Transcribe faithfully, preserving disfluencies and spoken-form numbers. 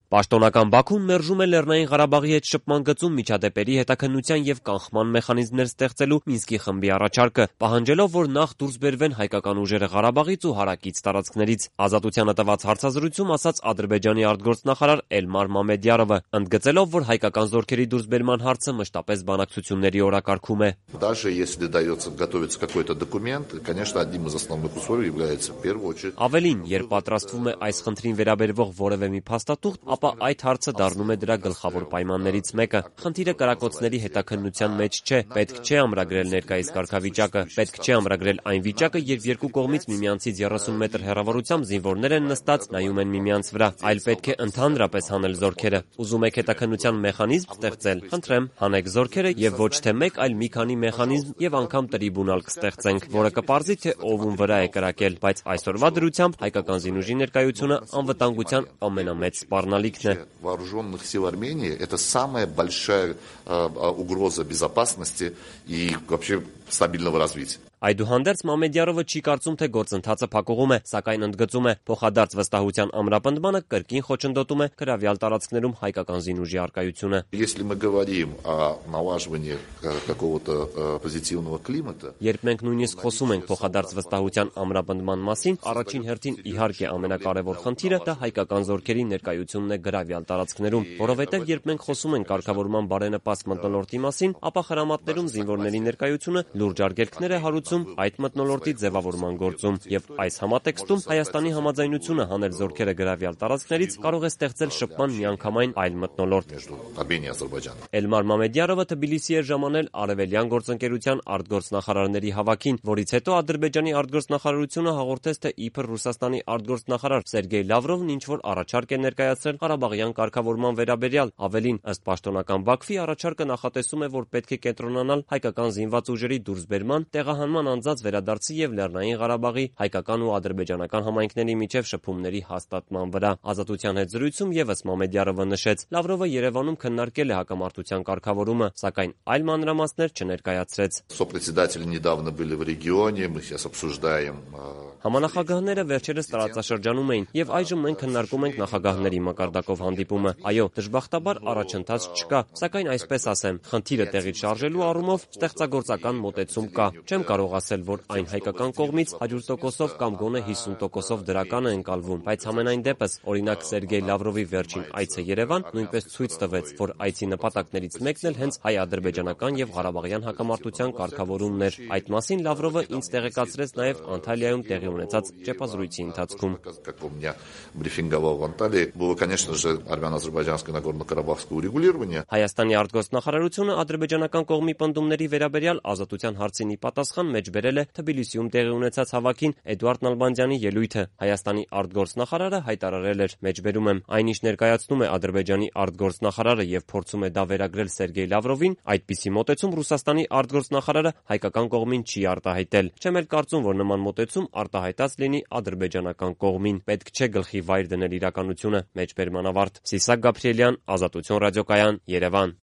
Պաշտոնական Բաքուն մերժում է Լեռնային Ղարաբաղի հետ շփման գծում միջադեպերի հետաքննության եւ կանխման մեխանիզմներ ստեղծելու Մինսկի խմբի առաջարկը, պահանջելով, որ նախ դուրս բերվեն հայկական ուժերը Ղարաբաղից ու հարակից տարածքներից։ Ազատությանը տված հարցազրույցում ասաց Ադրբեջանի արտգործնախարար Էլմար Մամեդյարովը, ընդգծելով, որ հայկական զորքերի դուրսբերման հարցը մշտապես բանակցությունների օրակարգում է։ Даже если дается готовится какой-то документ, конечно, одним из основных условий является в первую очередь. Ավելին, երբ պատրաստվում է այս խնդրին վերաբերվող որևէ մի փաստաթուղթ, ապա այդ հարցը դառնում է դրա գլխավոր պայմաններից մեկը։ Խնդիրը կրակոցների հետաքննության մեջ չէ, պետք չէ ամրագրել ներկայիս կարգավիճակը, պետք չէ ամրագրել այն վիճակը, երբ երկու կողմից միմյանցից երեսուն մետր հեռավորությամբ զինվորներ են նստած, նայում են միմյանց վրա, այլ պետք է ընդհանրապես հանել զորքերը։ Ուզում եք հետաքննության մեխանիզմ ստեղծել, խնդրեմ, հանեք զորքերը եւ ոչ թե մեկ, այլ մի քանի մեխանիզմ եւ անգամ տրիբունալ կստեղծենք, որը կպարզի, թե ով ում վրա է կրակել, բայց այսօրվա դրությամբ հայկական զինուժի ներկայությունը անվտանգության ամենամեծ սպառնալիքն է։ Вооруженных сил Армении это самая большая угроза безопасности и вообще стабильного развития. Այդուհանդերձ Մամեդյարովը չի կարծում, թե գործընթացը փակուղում է, սակայն ընդգծում է, փոխադարձ վստահության ամրապնդմանը կրկին խոչընդոտում է գրավյալ տարածքներում հայկական զինուժի առկայությունը։ Если мы говорим о налаживании какого-то позитивного климата, Երբ մենք նույնիսկ խոսում ենք փոխադարձ վստահության ամրապնդման մասին, առաջին հերթին իհարկե ամենակարևոր խնդիրը դա հայկական զորքերի ներկայությունն է գրավյալ տարածքներում, որովհետև երբ մենք խոսում ենք կարգավորման բարենպաստ մթնոլորտի մասին, ապա խրամատներում զինվորների ներկայությունը լուրջ արգելքներ է հարուցում այդ մթնոլորտի ձևավորման գործում, եւ այս համատեքստում Հայաստանի համաձայնությունը հանել զորքերը գրավյալ տարածքներից կարող է ստեղծել շփման միանգամայն այլ մթնոլորտ։ Էլմար Մամեդյարովը Թբիլիսի էր ժամանել Արևելյան գործընկերության արտգործնախարարների հավաքին, որից հետո Ադրբեջանի արտգործնախարարությունը հաղորդեց, թե իբր Ռուսաստանի արտգործնախարար Սերգեյ Լավրովն ինչ-որ առաջարկ է ներկայացրել Ղարաբաղյան կարգավորման վերաբերյալ։ Ավելին, ըստ պաշտոնական Բաքվի, առաջարկը նախատեսում է, որ պետք է կենտրոնանալ հայկական զինված ուժերի դուրսբերման, տեղահանման անձանց վերադարձի եւ Լեռնային Ղարաբաղի հայկական ու ադրբեջանական համայնքների միջև շփումների հաստատման վրա։ Ազատության հետ զրույցում եւս Մամեդյարովը նշեց, Լավրովը Երևանում քննարկել է հակամարտության կարգավորումը, սակայն այլ մանրամասներ չներկայացրեց։ Сопредседатели недавно были в регионе, мы сейчас обсуждаем. Համանախագահները վերջերս տարածաշրջանում էին եւ այժմ մենք քննարկում ենք նախագահների մակարդակով հանդիպումը։ Այո, դժբախտաբար առաջընթաց չկա, սակայն այսպես ասեմ, խնդիրը տեղից շարժելու առումով ստեղծագործական մոտեցում կա։ Չեմ կարող ասել, որ այն հայկական կողմից հարյուր տոկոսով կամ գոնե հիսուն տոկոսով դրական է ընկալվում, բայց համենայն դեպս, օրինակ Սերգեյ Լավրովի վերջին այցը Երևան նույնպես ցույց տվեց, որ այցի նպատակներից մեկն էլ հենց հայ-ադրբեջանական եւ ղարաբաղյան հակամարտության կարգավորումն էր։ Այդ մասին Լավրովը ինձ տեղեկացրեց նաեւ Անտալիայում տեղի ունեցած ճեպազրույցի ընթացքում։ Հայաստանի արտգործնախարարությունը ադրբեջանական կողմի պնդումների վերաբերյալ ազատության հարցին ի պատասխան մեջբերել է Թբիլիսիում տեղի ունեցած հավաքին Էդուարդ Նալբանդյանի ելույթը։ Հայաստանի արտգործնախարարը հայտարարել էր. «Մեջբերում եմ, այնինչ ներկայացնում է Ադրբեջանի արտգործնախարարը եւ փորձում է դա վերագրել Սերգեյ Լավրովին, այդպիսի մոտեցում Ռուսաստանի արտգործնախարարը հայկական կողմին չի արտահայտել։ Չեմ էլ կարծում, որ նման մոտեցում արտահայտած լինի ադրբեջանական կողմին։ Պետք չէ գլխի վայր դնել իրականությունը»։ Մեջբերման ավարտ։ Սիսակ Գաբրիելյան, Ազատություն ռադիոկայան, Երևան։